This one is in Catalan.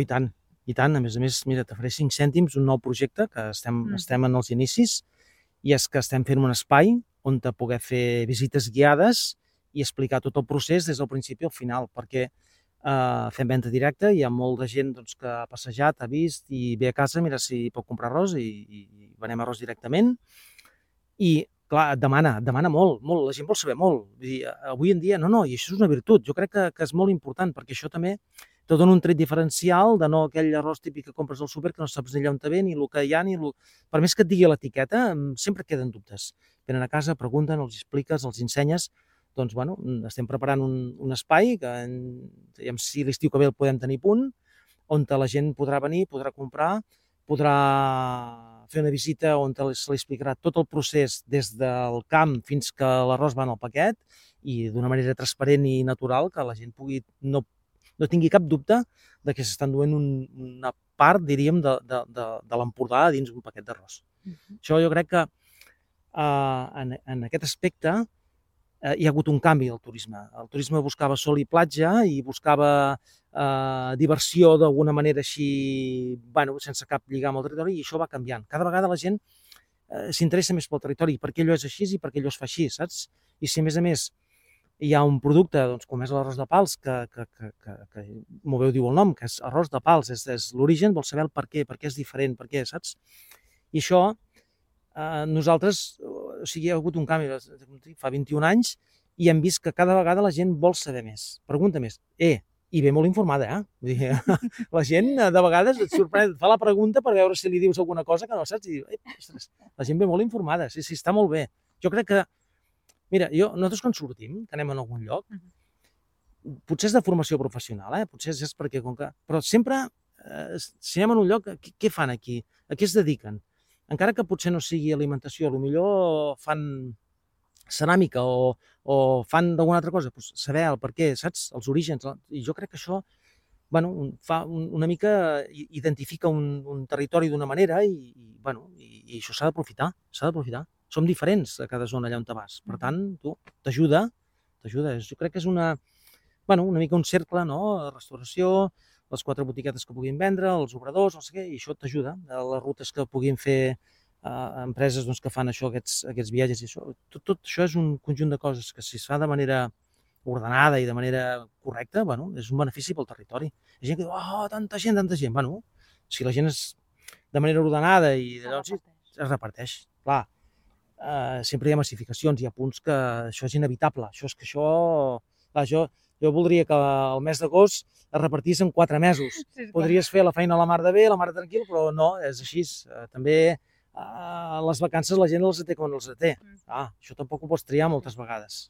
I tant. A més, mira, te faré 5 cèntims, un nou projecte, que estem en els inicis, i és que estem fent un espai on te poder fer visites guiades i explicar tot el procés des del principi al final, perquè fem venda directa, hi ha molta gent que ha passejat, ha vist i ve a casa, mira si pot comprar arròs i venem arròs directament. I, clar, demana molt, la gent vol saber molt. Vull dir, avui en dia, no, i això és una virtut. Jo crec que és molt important, perquè això també te dona un tret diferencial de no aquell arròs típic que compres al súper, que no saps ni allà on te ve, ni el que hi ha, Per més que et digui l'etiqueta, sempre queden dubtes. Venen a casa, pregunten, els expliques, els ensenyes. Doncs, bueno, estem preparant un espai que, si l'estiu que ve el podem tenir a punt, on la gent podrà venir, podrà comprar, podrà fer una visita on se li explicarà tot el procés des del camp fins que l'arròs va en el paquet i d'una manera transparent i natural que la gent pugui no tingui cap dubte de que s'estan duent una part, diríem, de l'Empordà dins un paquet d'arròs. Això jo crec que en aquest aspecte hi ha hagut un canvi del turisme. El turisme buscava sol i platja i buscava diversió d'alguna manera així, sense cap lligam al territori, i això va canviant. Cada vegada la gent s'interessa més pel territori, perquè allò és així i perquè allò es fa així, saps? I si a més hi ha un producte com és l'arròs de Pals, que m'ho veu dir el nom, que és arròs de Pals, és l'origen, vol saber el per què és diferent, per què, saps? I això nosaltres, hi ha hagut un canvi, fa 21 anys, i hem vist que cada vegada la gent vol saber més, pregunta més, i ve molt informada, Vull dir, la gent de vegades et sorprèn, fa la pregunta per veure si li dius alguna cosa que no saps, i ostres, la gent ve molt informada, sí, està molt bé. Jo crec que, mira, nosaltres quan sortim, que anem a algun lloc, potser és de formació professional, potser és perquè, però sempre, si anem a un lloc, què fan aquí? A què es dediquen? Encara que potser no sigui alimentació, potser fan ceràmica o fan d'alguna altra cosa, doncs saber el per què, saps? Els orígens. I jo crec que això fa una mica, identifica un territori d'una manera i això s'ha d'aprofitar, Som diferents a cada zona allà on te vas. Per tant, t'ajuda. Jo crec que és una mica un cercle, no? Restauració, les 4 botiquetes que puguin vendre, els obradors, no sé què, i això t'ajuda. Les rutes que puguin fer empreses que fan això, aquests viatges i això. Tot això és un conjunt de coses que si es fa de manera ordenada i de manera correcta, és un benefici pel territori. Hi ha gent que diu, tanta gent. Si la gent és de manera ordenada i es reparteix. Clar, sempre hi ha massificacions, hi ha punts que això és inevitable. Jo voldria que el mes d'agost es repartís en 4 mesos. Podries fer la feina a la mar de bé, a la mar de tranquil, però no, és així. També les vacances la gent els té quan els té. Això tampoc ho pots triar moltes vegades.